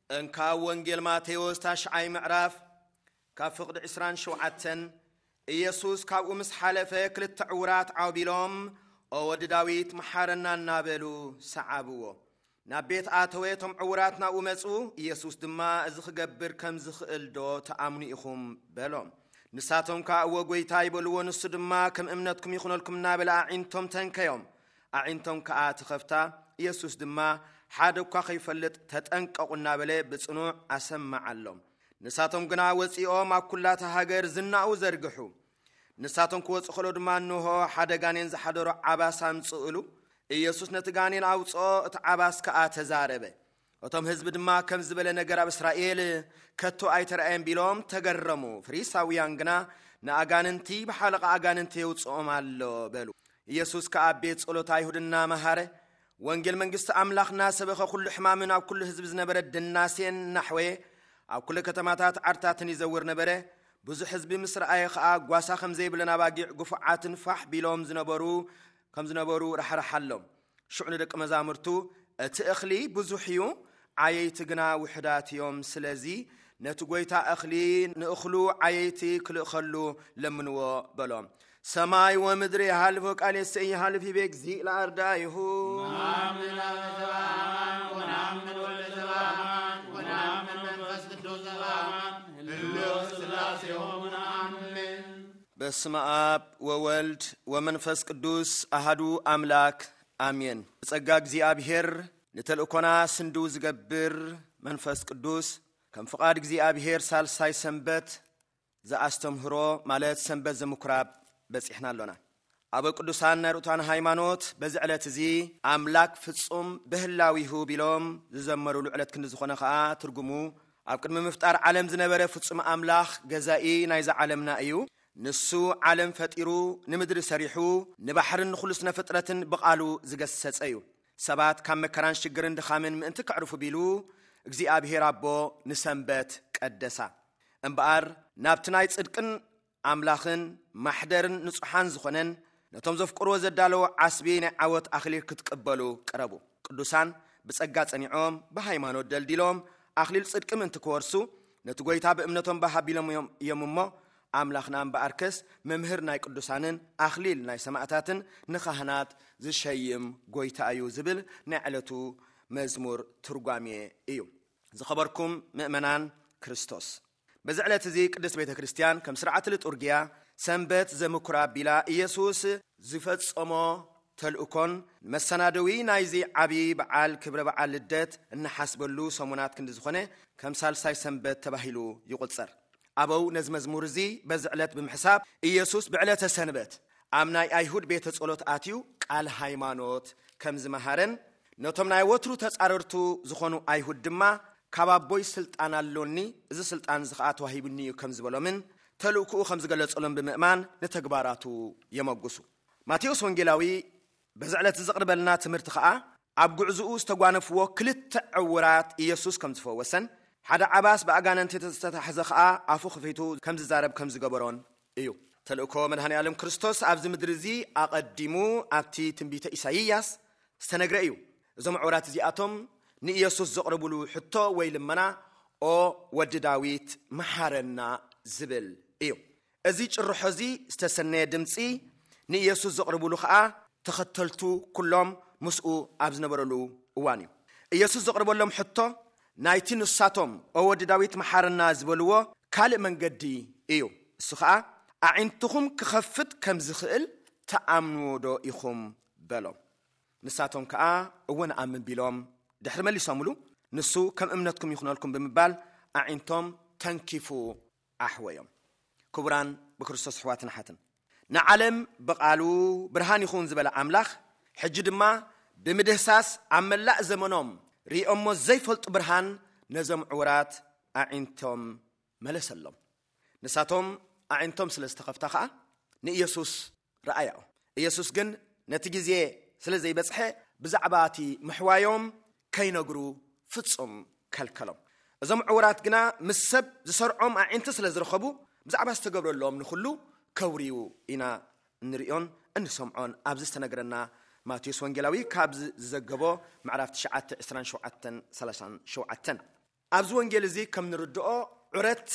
እንካብ ወንጌል ማቴዎስ ታሽዓይ ምዕራፍ፣ ካብ ፍቕዲ ዕስራን ሸውዓተን፣ ኢየሱስ ካብኡ ምስ ሓለፈ፣ ክልተ ዕዉራት ዓው ቢሎም፣ "ኦ ወዲ ዳዊት፣ መሓረና" እናበሉ ሰዓብዎ። ናብ ቤት ኣተወ፣ እቶም ዕዉራት ናብኡ መጹ። ኢየሱስ ድማ፣ "እዚ ክገብር ከም ዝኽእል ዶ ትኣምኑ ኢኹም?" በሎም። ንሳቶም ከኣ፣ "እወ ጐይታይ" በልዎ። ንሱ ድማ፣ "ከም እምነትኩም ይኹነልኩም" እናበለ ኣዒንቶም ተንከዮም። ኣዒንቶም ከኣ ተኸፍታ። ኢየሱስ ድማ፣ "ሓደ እኳ ከይፈልጥ ተጠንቀቑ" እናበለ ብጽኑዕ ኣሰምዓሎም። ንሳቶም ግና ወጺኦም ኣብ ኩላታ ሃገር ዝናኡ ዘርግሑ። ንሳቶም ክወጹ ከሎ ድማ፣ እንሆ፣ ሓደ ጋኔን ዝሓደሮ ዓባስ ኣምጽኡሉ። ኢየሱስ ነቲ ጋኔን ኣውጽኦ፣ እቲ ዓባስ ከኣ ተዛረበ። እቶም ህዝቢ ድማ፣ "ከም ዝበለ ነገር ኣብ እስራኤል ከቶ ኣይተራእየን" ቢሎም ተገረሙ። ፈሪሳውያን ግና፣ "ንኣጋንንቲ ብሓለቓ ኣጋንንቲ የውጽኦም ኣሎ" በሉ። ኢየሱስ ከኣ ኣብ ቤት ጸሎት ኣይሁድ እናመሃረ፣ ወንጌል መንግስቲ ኣምላኽ እናሰበኸ፣ ኩሉ ሕማምን ኣብ ኩሉ ህዝቢ ዝነበረ ድናሴን እናሕወየ፣ ኣብ ኩሉ ከተማታት ዓድታትን ይዘውር ነበረ። ብዙሕ ህዝቢ ምስ ረኣየ ኸኣ፣ ጓሳ ከም ዘይብለን ኣባጊዕ ግፉዓትን ፋሕ ቢሎም ዝነበሩ ከም ዝነበሩ ራሕራሓሎም። ሽዑ ንደቂ መዛሙርቱ፣ "እቲ እኽሊ ብዙሕ እዩ፣ ዓየይቲ ግና ውሑዳት እዮም። ስለዚ ነቲ ጐይታ እኽሊ ንእኽሉ ዓየይቲ ክልእኸሉ ለምንዎ" በሎም። ሰማይ ወምድሪ የሃልፎ፣ ቃሌሰ ኢይሃልፍ ይቤ እግዚእ ለኣርዳኢሁ። ነአምን አብ ዘበአማን ወነአምን ወልደ ዘበአማን ወነአምን መንፈስ ቅዱስ ዘበአማን ህልው ስላሴሆሙ ነአምን። በስመ አብ ወወልድ ወመንፈስ ቅዱስ አሃዱ አምላክ አሜን። ብጸጋ እግዚኣብሔር ንተልእኮና ስንድው ዝገብር መንፈስ ቅዱስ፣ ከም ፍቓድ እግዚኣብሔር ሳልሳይ ሰንበት ዘኣስተምህሮ፣ ማለት ሰንበት ዘምኩራብ በጺሕና ኣሎና። ኣበው ቅዱሳን ናይ ርቱዓን ሃይማኖት በዚ ዕለት እዚ፣ "ኣምላክ ፍጹም በህላዊሁ" ቢሎም ዝዘመሩሉ ዕለት ክንዲ ዝኾነ ኸኣ፣ ትርጉሙ፣ ኣብ ቅድሚ ምፍጣር ዓለም ዝነበረ ፍጹም ኣምላኽ፣ ገዛኢ ናይዛ ዓለምና እዩ። ንሱ ዓለም ፈጢሩ፣ ንምድሪ ሰሪሑ፣ ንባሕርን ንኹሉ ስነ ፍጥረትን ብቓሉ ዝገሰጸ እዩ። ሰባት ካብ መከራን ሽግርን ድኻምን ምእንቲ ከዕርፉ ቢሉ፣ እግዚኣብሔር ኣቦ ንሰንበት ቀደሳ። እምበኣር፣ ናብቲ ናይ ጽድቅን ኣምላኽን ማሕደርን ንጹሓን ዝኾነን፣ ነቶም ዘፍቅርዎ ዘዳለዎ ዓስቢ ናይ ዓወት ኣኽሊል ክትቅበሉ ቅረቡ። ቅዱሳን ብጸጋ ጸኒዖም፣ ብሃይማኖት ደልዲሎም፣ ኣኽሊል ጽድቂ ምእንቲ ክወርሱ፣ ነቲ ጐይታ ብእምነቶም ባህ ኣቢሎም እዮም፣ እዮም እሞ፣ ኣምላኽና እምበኣርከስ መምህር ናይ ቅዱሳንን ኣኽሊል ናይ ሰማእታትን ንኻህናት ዝሸይም ጐይታ እዩ ዝብል ናይ ዕለቱ መዝሙር ትርጓሜ እዩ። ዝኸበርኩም ምእመናን ክርስቶስ፣ በዚ ዕለት እዚ ቅድስት ቤተ ክርስቲያን ከም ስርዓት ልጡርግያ ሰንበት ዘምኩራ ኣቢላ ኢየሱስ ዝፈጸሞ ተልእኮን መሰናደዊ ናይዚ ዓቢ በዓል ክብረ በዓል ልደት እናሓስበሉ ሰሙናት ክንዲ ዝኾነ ከም ሳልሳይ ሰንበት ተባሂሉ ይቑጸር። ኣበው ነዚ መዝሙር እዚ በዚ ዕለት ብምሕሳብ ኢየሱስ ብዕለተ ሰንበት ኣብ ናይ ኣይሁድ ቤተ ጸሎት ኣትዩ ቃል ሃይማኖት ከም ዝመሃረን ነቶም ናይ ወትሩ ተጻረርቱ ዝኾኑ ኣይሁድ ድማ ካብ ኣቦይ ስልጣን ኣሎኒ፣ እዚ ስልጣን እዚ ኸኣ ተዋሂቡኒ እዩ ከም ዝበሎምን ተልእኮኡ ከም ዝገለጸሎም ብምእማን ንተግባራቱ የመጉሱ። ማቴዎስ ወንጌላዊ በዚ ዕለት ዘቕርበልና ትምህርቲ ኸኣ ኣብ ጉዕዝኡ ዝተጓነፍዎ ክልተ ዕውራት ኢየሱስ ከም ዝፈወሰን ሓደ ዓባስ ብኣጋንንቲ ዝተታሕዘ ኸኣ ኣፉ ክፊቱ ከም ዝዛረብ ከም ዝገበሮን እዩ። ተልእኮ መድኃኔ ዓለም ክርስቶስ ኣብዚ ምድሪ እዚ ኣቐዲሙ ኣብቲ ትንቢተ ኢሳይያስ ዝተነግረ እዩ። እዞም ዕውራት እዚኣቶም ንኢየሱስ ዘቕርብሉ ሕቶ ወይ ልመና፣ "ኦ ወዲ ዳዊት፣ መሓረና" ዝብል እዩ። እዚ ጭርሖ እዚ ዝተሰነየ ድምጺ ንኢየሱስ ዘቕርብሉ ኸኣ ተኸተልቱ ኩሎም ምስኡ ኣብ ዝነበረሉ እዋን እዩ። ኢየሱስ ዘቕርበሎም ሕቶ ናይቲ ንሳቶም "ኦ ወዲ ዳዊት መሓረና" ዝበልዎ ካልእ መንገዲ እዩ። እሱ ኸኣ "ኣዒንትኹም ክኸፍት ከም ዝኽእል ትኣምንዎ ዶ ኢኹም?" በሎም። ንሳቶም ከኣ "እወ ንኣምን" ቢሎም ድሕሪ መሊሶምሉ፣ ንሱ "ከም እምነትኩም ይኹነልኩም" ብምባል ኣዒንቶም ተንኪፉ ኣሕወዮም። ክቡራን ብክርስቶስ ኣሕዋትን ኣሓትን፣ ንዓለም ብቓሉ ብርሃን ይኹን ዝበለ ኣምላኽ፣ ሕጂ ድማ ብምድህሳስ ኣብ መላእ ዘመኖም ርእዮሞ ዘይፈልጡ ብርሃን ነዞም ዕውራት ኣዒንቶም መለሰሎም። ንሳቶም ኣዒንቶም ስለ ዝተኸፍታ ኸኣ ንኢየሱስ ረኣያኦ። ኢየሱስ ግን ነቲ ግዜ ስለ ዘይበጽሐ ብዛዕባ እቲ ምሕዋዮም ከይነግሩ ፍጹም ከልከሎም። እዞም ዕውራት ግና ምስ ሰብ ዝሰርዖም ኣዒንቲ ስለ ዝረኸቡ ብዛዕባ ዝተገብረሎም ንኹሉ ከውርዩ ኢና እንርእዮን እንሰምዖን ኣብዚ ዝተነግረና ማቴዎስ ወንጌላዊ ካብ ዝ-፣ ዝዘገቦ ምዕራፍ ትሽዓተ ዕስራን ሸውዓተን ሰላሳን ሸውዓተን። ኣብዚ ወንጌል እዚ ከም ንርድኦ፣ ዑረት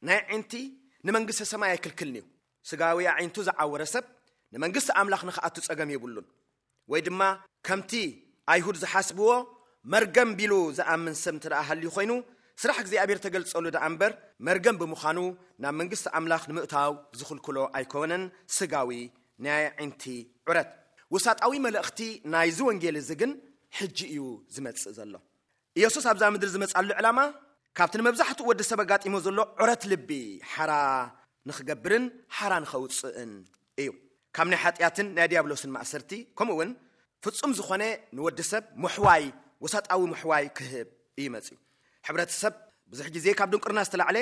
ናይ ኣዒንቲ ንመንግስተ ሰማይ ኣይክልክልን እዩ። ስጋዊ ኣዒንቱ ዝዓወረ ሰብ ንመንግስቲ ኣምላኽ ንኽኣቱ ጸገም የብሉን። ወይ ድማ ከምቲ ኣይሁድ ዝሓስብዎ፣ መርገም ቢሉ ዝኣምን ሰብ እንተ ደኣ ሃልዩ ኮይኑ፣ ስራሕ እግዚኣብሔር ተገልጸሉ ደኣ እምበር፣ መርገም ብምዃኑ ናብ መንግስቲ ኣምላኽ ንምእታው ዝኽልክሎ ኣይኮነን። ስጋዊ ናይ ኣዒንቲ ዑረት። ውሳጣዊ መልእኽቲ ናይዚ ወንጌል እዚ ግን ሕጂ እዩ ዝመጽእ ዘሎ። ኢየሱስ ኣብዛ ምድሪ ዝመጻሉ ዕላማ ካብቲ ንመብዛሕትኡ ወዲ ሰብ ኣጋጢሞ ዘሎ ዑረት ልቢ ሓራ ንኽገብርን ሓራ ንኸውጽእን እዩ። ካብ ናይ ሓጢኣትን ናይ ዲያብሎስን ማእሰርቲ፣ ከምኡ እውን ፍጹም ዝኾነ ንወዲ ሰብ ምሕዋይ፣ ወሳጣዊ ምሕዋይ ክህብ እዩ መጺኡ። ሕብረተሰብ ብዙሕ ግዜ ካብ ድንቁርና ዝተላዕለ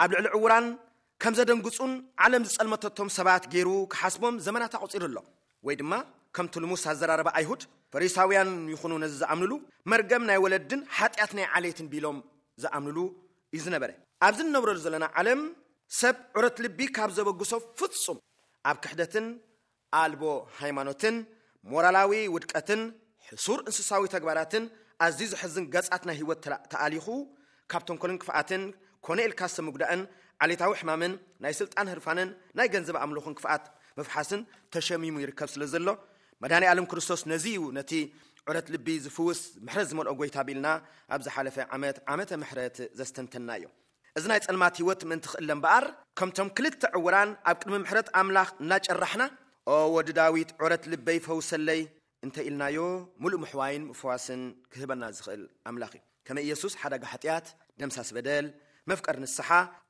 ኣብ ልዕሊ ዕውራን ከም ዘደንግጹን ዓለም ዝጸልመተቶም ሰባት ገይሩ ክሓስቦም ዘመናት ኣቑጺሩ ኣሎ። ወይ ድማ ከምቲ ልሙስ ኣዘራረባ ኣይሁድ፣ ፈሪሳውያን ይኹኑ ነዚ ዝኣምንሉ፣ መርገም ናይ ወለድን ሓጢኣት ናይ ዓሌትን ቢሎም ዝኣምንሉ እዩ ዝነበረ። ኣብዚ ንነብረሉ ዘለና ዓለም ሰብ ዑረት ልቢ ካብ ዘበግሶ ፍጹም ኣብ ክሕደትን ኣልቦ ሃይማኖትን ሞራላዊ ውድቀትን ሕሱር እንስሳዊ ተግባራትን ኣዝዩ ዘሕዝን ገጻት ናይ ህይወት ተላ-፣ ተኣሊኹ ካብ ተንኮልን ክፍኣትን ኮነ ኢልካ ሰብ ምግዳእን ዓሌታዊ ሕማምን ናይ ስልጣን ህርፋንን ናይ ገንዘብ ኣምልኾን ክፍኣት ምፍሓስን ተሸሚሙ ይርከብ ስለ ዘሎ፣ መድኃኔ ዓለም ክርስቶስ ነዚ እዩ ነቲ ዑረት ልቢ ዝፍውስ ምሕረት ዝመልኦ ጐይታ ቢልና ኣብ ዝሓለፈ ዓመት ዓመተ ምሕረት ዘስተንተናዮ። እዚ ናይ ጸልማት ህይወት ምእንቲ ክእለ እምበኣር፣ ከምቶም ክልተ ዕውራን ኣብ ቅድሚ ምሕረት ኣምላኽ እናጨራሕና፣ "ኦ ወዲ ዳዊት፣ ዑረት ልበይ ፈውሰለይ" እንተ ኢልናዮ፣ ምሉእ ምሕዋይን ምፍዋስን ክህበና ዝኽእል ኣምላኽ እዩ። ከመ ኢየሱስ ሓዳጋ ሓጢኣት፣ ደምሳስ በደል፣ መፍቀር ንስሓ፣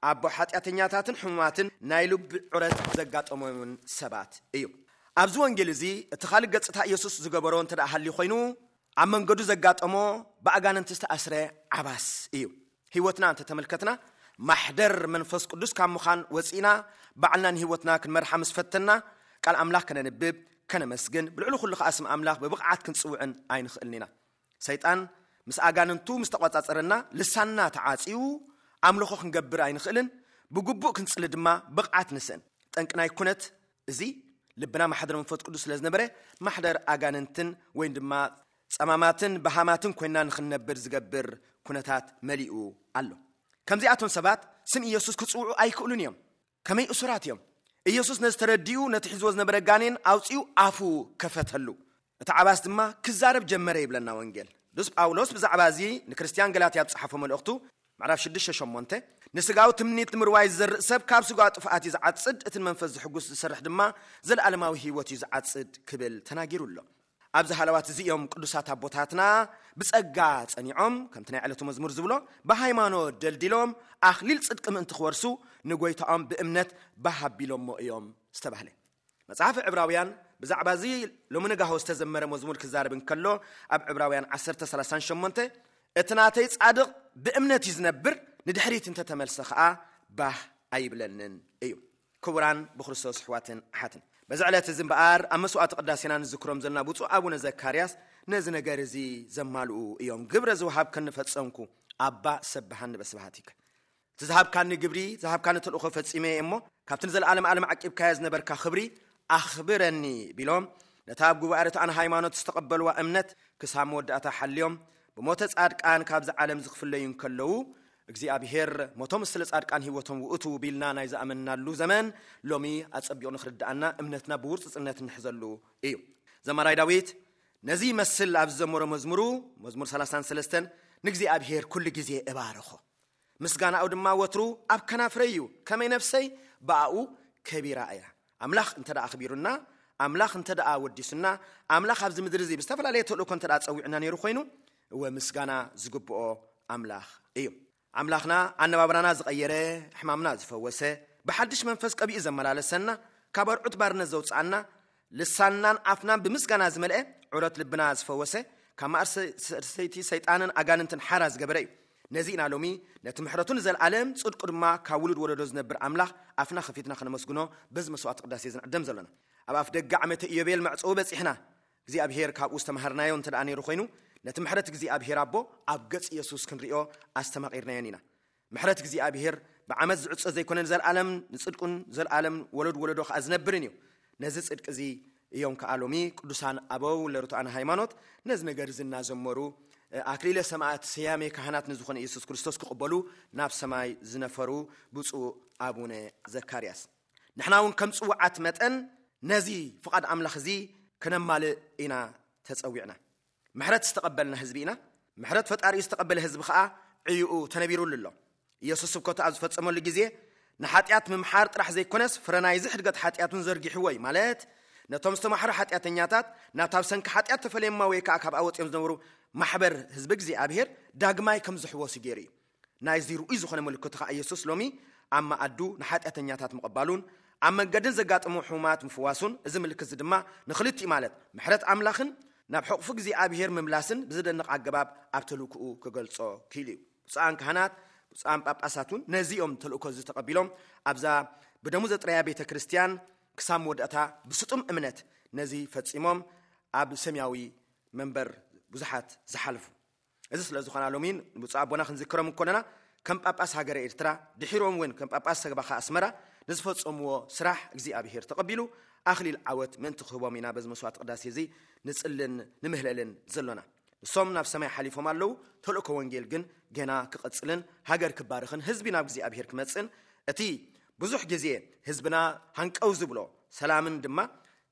ኣቦ ሓጢኣተኛታትን ሕሙማትን ናይ ልቢ ዑረት ዘጋጠሞምን ሰባት እዩ። ኣብዚ ወንጌል እዚ እቲ ካልእ ገጽታ ኢየሱስ ዝገበሮ እንተ ደኣ ሃልዩ ኮይኑ፣ ኣብ መንገዱ ዘጋጠሞ ብኣጋንንቲ ዝተኣስረ ዓባስ እዩ። ህይወትና እንተ ተመልከትና፣ ማሕደር መንፈስ ቅዱስ ካብ ምዃን ወጺእና፣ ባዕልና ንህይወትና ክንመርሓ ምስ ፈተና፣ ቃል ኣምላኽ ከነንብብ፣ ከነመስግን፣ ብልዕሊ ኩሉ ኸኣ ስም ኣምላኽ ብብቕዓት ክንጽውዕን ኣይንኽእልን ኢና። ሰይጣን ምስ ኣጋንንቱ ምስ ተቖጻጸረና፣ ልሳንና ተዓጽዩ፣ ኣምልኾ ክንገብር ኣይንኽእልን፣ ብግቡእ ክንጽሊ ድማ ብቕዓት ንስእን። ጠንቂ ናይ ኩነት እዚ ልብና ማሕደር መንፈስ ቅዱስ ስለ ዝነበረ፣ ማሕደር ኣጋንንትን ወይ ድማ ጸማማትን በሃማትን ኮይና ንኽንነብር ዝገብር ኩነታት መሊኡ ኣሎ። ከምዚኣቶም ሰባት ስም ኢየሱስ ክጽውዑ ኣይክእሉን እዮም። ከመይ እሱራት እዮም። ኢየሱስ ነዚ ተረዲኡ ነቲ ሒዝዎ ዝነበረ ጋኔን ኣውጺኡ ኣፉ ከፈተሉ። እቲ ዓባስ ድማ ክዛረብ ጀመረ ይብለና ወንጌል። ቅዱስ ጳውሎስ ብዛዕባ እዚ ንክርስትያን ገላትያ ኣብ ዝጸሓፎ መልእኽቱ ምዕራፍ ሽዱሽተ ሸሞንተ፣ "ንስጋዊ ትምኒት ንምርዋይ ዝዘርእ ሰብ ካብ ስጋዊ ጥፍኣት እዩ ዝዓጽድ፣ እቲ ንመንፈስ ዝሕጉስ ዝሰርሕ ድማ ዘለኣለማዊ ህይወት እዩ ዝዓጽድ" ክብል ተናጊሩ ኣሎ። ኣብዚ ሃለዋት እዚ እዮም ቅዱሳት ኣቦታትና ብጸጋ ጸኒዖም፣ ከምቲ ናይ ዕለቱ መዝሙር ዝብሎ፣ ብሃይማኖት ደልዲሎም ኣኽሊል ጽድቂ ምእንቲ ክወርሱ ንጎይታኦም ብእምነት ባህ ኣቢሎሞ እዮም ዝተባህለ። መጽሓፍ ዕብራውያን ብዛዕባ እዚ ሎሚ ንጋሆ ዝተዘመረ መዝሙር ክዛረብ እንከሎ፣ ኣብ ዕብራውያን ዓሰርተ ሰላሳን ሸሞንተ፣ "እቲ ናተይ ጻድቕ ብእምነት እዩ ዝነብር፣ ንድሕሪት እንተተመልሰ ኸኣ ባህ ኣይብለንን" እዩ። ክቡራን ብክርስቶስ ኣሕዋትን ኣሓትን፣ በዚ ዕለት እዚ እምበኣር ኣብ መስዋዕቲ ቅዳሴና ንዝክሮም ዘለና ብፁዕ ኣቡነ ዘካርያስ ነዚ ነገር እዚ ዘማልኡ እዮም። "ግብረ ዝወሃብከኒ ፈጸምኩ፣ ኣባ ሰብሃኒ በስብሃቲከ። እቲ ዝሃብካኒ ግብሪ፣ ዝሃብካኒ ተልእኾ ፈጺመ እየ እሞ፣ ካብቲ ንዘለኣለም ዓለም ዓቂብካዮ ዝነበርካ ክብሪ ኣኽብረኒ" ቢሎም፣ ነታ ኣብ ጉባኤ ርትዓን ሃይማኖት ዝተቐበልዋ እምነት ክሳብ መወዳእታ ሓልዮም፣ ብሞተ ጻድቃን ካብዚ ዓለም ዝኽፍለዩ እንከለዉ፣ እግዚኣብሔር ሞቶም ስለ ጻድቃን ህይወቶም ውእቱ ቢልና ናይ ዝኣመንናሉ ዘመን ሎሚ ኣጸቢቑ ንኽርድኣና እምነትና ብውርጽጽነት እንሕዘሉ እዩ። ዘማራይ ዳዊት ነዚ ይመስል ኣብ ዝዘመሮ መዝሙሩ፣ መዝሙር ሰላሳን ሰለስተን፣ "ንእግዚኣብሔር ኩሉ ግዜ እባርኾ፣ ምስጋናኡ ድማ ወትሩ ኣብ ከናፍረይ እዩ፣ ከመይ ነፍሰይ ብኣኡ ከቢራ እያ።" ኣምላኽ እንተ ደኣ ኣኽቢሩና፣ ኣምላኽ እንተ ደኣ ወዲሱና፣ ኣምላኽ ኣብዚ ምድሪ እዚ ብዝተፈላለየ ተልእኮ እንተ ደኣ ጸዊዑና ነይሩ ኮይኑ፣ እወ፣ ምስጋና ዝግብኦ ኣምላኽ እዩ። ኣምላኽና ኣነባብራና ዝቐየረ፣ ሕማምና ዝፈወሰ፣ ብሓድሽ መንፈስ ቀቢኡ ዘመላለሰና፣ ካብ ኣርዑት ባርነት ዘውጽኣና፣ ልሳንናን ኣፍናን ብምስጋና ዝመልአ፣ ዑረት ልብና ዝፈወሰ፣ ካብ ማእሰርቲ ሰይጣንን ኣጋንንትን ሓራ ዝገበረ እዩ። ነዚ ኢና ሎሚ ነቲ ምሕረቱ ንዘለኣለም፣ ጽድቁ ድማ ካብ ውሉድ ወለዶ ዝነብር ኣምላኽ ኣፍና ከፊትና ከነመስግኖ በዚ መስዋዕቲ ቅዳሴ ዝንዕደም ዘለና። ኣብ ኣፍ ደገ ዓመተ ኢዮቤል መዕጸዊ በጺሕና። እግዚኣብሔር ካብኡ ዝተማሃርናዮ እንተ ደኣ ነይሩ ኮይኑ፣ ነቲ ምሕረት እግዚኣብሔር ኣቦ ኣብ ገጽ የሱስ ክንሪኦ ኣስተማቒርናዮን ኢና። ምሕረት እግዚኣብሔር ብዓመት ዝዕጾ ዘይኮነ፣ ንዘለኣለም ንጽድቁን ዘለኣለም ወለድ ወለዶ ከኣ ዝነብርን እዩ። ነዚ ጽድቂ እዚ እዮም ከኣ ሎሚ ቅዱሳን ኣበው ለርቱዓን ሃይማኖት ነዚ ነገር እዚ እናዘመሩ ኣክሊለ ሰማዕት፣ ስያሜ ካህናት ንዝኾነ ኢየሱስ ክርስቶስ ክቕበሉ ናብ ሰማይ ዝነፈሩ ብፁዕ ኣቡነ ዘካርያስ። ንሕና እውን ከም ጽውዓት መጠን ነዚ ፍቓድ ኣምላኽ እዚ ከነማልእ ኢና ተጸዊዕና። ምሕረት ዝተቐበልና ህዝቢ ኢና። ምሕረት ፈጣሪኡ ዝተቐበለ ህዝቢ ኸኣ ዕዩኡ ተነቢሩሉ ኣሎ። ኢየሱስ ስብከቱ ኣብ ዝፈጸመሉ ግዜ ንሓጢኣት ምምሓር ጥራሕ ዘይኮነስ፣ ፍረ ናይዚ ሕድገት ሓጢኣት እውን ዘርጊሕዎ እዩ። ማለት፣ ነቶም ዝተማሕሩ ሓጢኣተኛታት፣ ናብታ ብሰንኪ ሓጢኣት ተፈለዮማ ወይ ከኣ ካብኣ ወጺኦም ዝነበሩ ማሕበር ህዝቢ እግዚኣብሔር ዳግማይ ከም ዝሕወሱ ገይሩ እዩ። ናይዚ ርኡይ ዝኾነ ምልክቱ ኸኣ ኢየሱስ ሎሚ ኣብ መኣዱ ንሓጢኣተኛታት ምቕባሉን ኣብ መንገድን ዘጋጠሙ ሕሙማት ምፍዋሱን፣ እዚ ምልክት እዚ ድማ ንኽልቲኡ፣ ማለት ምሕረት ኣምላኽን ናብ ሕቑፉ እግዚኣብሔር ምምላስን ብዝደንቕ ኣገባብ ኣብ ተልእኮኡ ክገልጾ ክኢሉ እዩ። ብፁዓን ካህናት፣ ብፁዓን ጳጳሳት እውን ነዚኦም ተልእኮ እዚ ተቐቢሎም ኣብዛ ብደሙ ዘጥረያ ቤተ ክርስቲያን ክሳብ መወዳእታ ብስጡም እምነት ነዚ ፈጺሞም ኣብ ሰማያዊ መንበር ብዙሓት ዝሓለፉ። እዚ ስለ ዝኾና ሎሚን ብፁዕ ኣቦና ክንዝክሮም እንኮለና ከም ጳጳስ ሃገረ ኤርትራ፣ ድሒሮም እውን ከም ጳጳስ ሰበኻ ኣስመራ ንዝፈጸምዎ ስራሕ እግዚኣብሔር ተቐቢሉ ኣኽሊል ዓወት ምእንቲ ክህቦም ኢና በዚ መስዋዕቲ ቅዳሴ እዚ ንጽልን ንምህለልን ዘሎና። ንሶም ናብ ሰማይ ሓሊፎም ኣለዉ። ተልእኮ ወንጌል ግን ገና ክቐጽልን ሃገር ክባርኽን ህዝቢ ናብ እግዚኣብሔር ክመጽእን፣ እቲ ብዙሕ ግዜ ህዝብና ሃንቀው ዝብሎ ሰላምን ድማ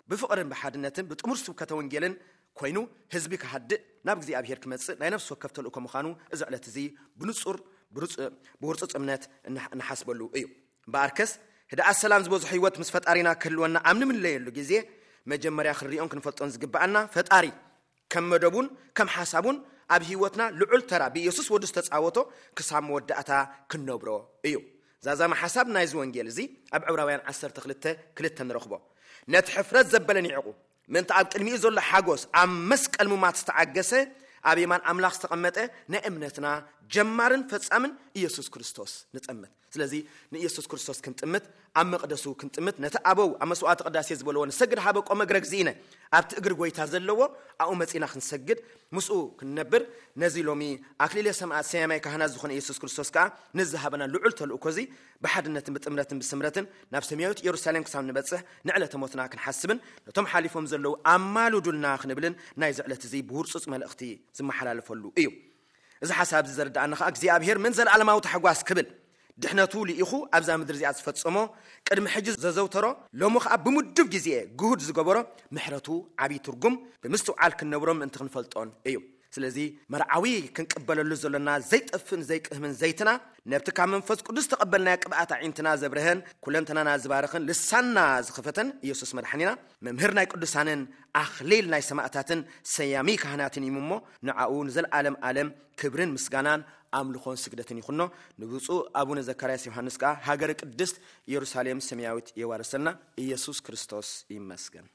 ብፍቕርን ብሓድነትን ብጥሙር ስብከተ ወንጌልን ኮይኑ ህዝቢ ክሃድእ፣ ናብ እግዚኣብሔር ክመጽእ ናይ ነፍሲ ወከፍ ተልእኮ ምዃኑ እዚ ዕለት እዚ ብንጹር ብርጹ-፣ ብውርጹጽ እምነት እንሓ-፣ እንሓስበሉ እዩ። እምበኣርከስ ህድኣት ሰላም ዝበዝሖ ህይወት ምስ ፈጣሪና ክህልወና ኣብ ንምለየሉ ግዜ መጀመርያ ክንሪኦን ክንፈልጦን ዝግብኣና ፈጣሪ ከም መደቡን ከም ሓሳቡን ኣብ ህይወትና ልዑል ተራ ብኢየሱስ ወዱ ዝተጻወቶ ክሳብ መወዳእታ ክንነብሮ እዩ። ዛዛሚ ሓሳብ ናይዚ ወንጌል እዚ ኣብ ዕብራውያን ዓሰርተ ክልተ ክልተ ንረኽቦ። ነቲ ሕፍረት ዘበለ ኒዕቑ፣ ምእንቲ ኣብ ቅድሚኡ ዘሎ ሓጎስ ኣብ መስቀል ሙማት ዝተዓገሰ፣ ኣብ የማን ኣምላኽ ዝተቐመጠ ናይ እምነትና ጀማርን ፈጻምን ኢየሱስ ክርስቶስ ንጠምት። ስለዚ ንኢየሱስ ክርስቶስ ክንጥምት፣ ኣብ መቕደሱ ክንጥምት፣ ነቲ ኣበው ኣብ መስዋዕቲ ቅዳሴ ዝበልዎ "ንሰግድ ሀበ ቆመ እግረ እግዚእነ" ኣብቲ እግሪ ጎይታ ዘለዎ ኣብኡ መጺና ክንሰግድ፣ ምስኡ ክንነብር፣ ነዚ ሎሚ ኣክሊለ ሰማዕት ሰያማይ ካህናት ዝኾነ ኢየሱስ ክርስቶስ ከኣ ንዝሃበና ልዑል ተልእኮ እዚ ብሓድነትን ብጥምረትን ብስምረትን ናብ ሰማያዊት ኢየሩሳሌም ክሳብ ንበጽሕ ንዕለተ ሞትና ክንሓስብን ነቶም ሓሊፎም ዘለዉ ኣማልዱልና ክንብልን ናይዚ ዕለት እዚ ብውርጹጽ መልእኽቲ ዝመሓላለፈሉ እዩ። እዚ ሓሳብ እዚ ዘርድኣና ኸኣ እግዚኣብሔር ምን ዘለዓለማዊ ታሕጓስ ክብል ድሕነቱ ልኢኹ ኣብዛ ምድሪ እዚኣ ዝፈጸሞ፣ ቅድሚ ሕጂ ዘዘውተሮ፣ ሎሚ ኸኣ ብምዱብ ግዜ ግሁድ ዝገበሮ ምሕረቱ ዓብዪ ትርጉም ብምስትውዓል ክንነብሮ ምእንቲ ክንፈልጦን እዩ። ስለዚ መርዓዊ ክንቅበለሉ ዘሎና ዘይጠፍእን ዘይቅህምን ዘይትና፣ ነብቲ ካብ መንፈስ ቅዱስ ተቐበልናዮ ቅብኣት ኣዒንትና ዘብርሀን ኩለንተናና ዝባርኽን ልሳንና ዝኸፈተን ኢየሱስ መድሓኒና፣ መምህር ናይ ቅዱሳንን ኣኽሊል ናይ ሰማእታትን ሰያሚ ካህናትን እዩ እሞ፣ ንዓኡ ንዘለዓለም ዓለም ክብርን ምስጋናን ኣምልኾን ስግደትን ይኹኖ። ንብፁዕ ኣቡነ ዘካርያስ ዮሃንስ ከኣ ሃገረ ቅድስት ኢየሩሳሌም ሰማያዊት የዋርሰልና። ኢየሱስ ክርስቶስ ይመስገን።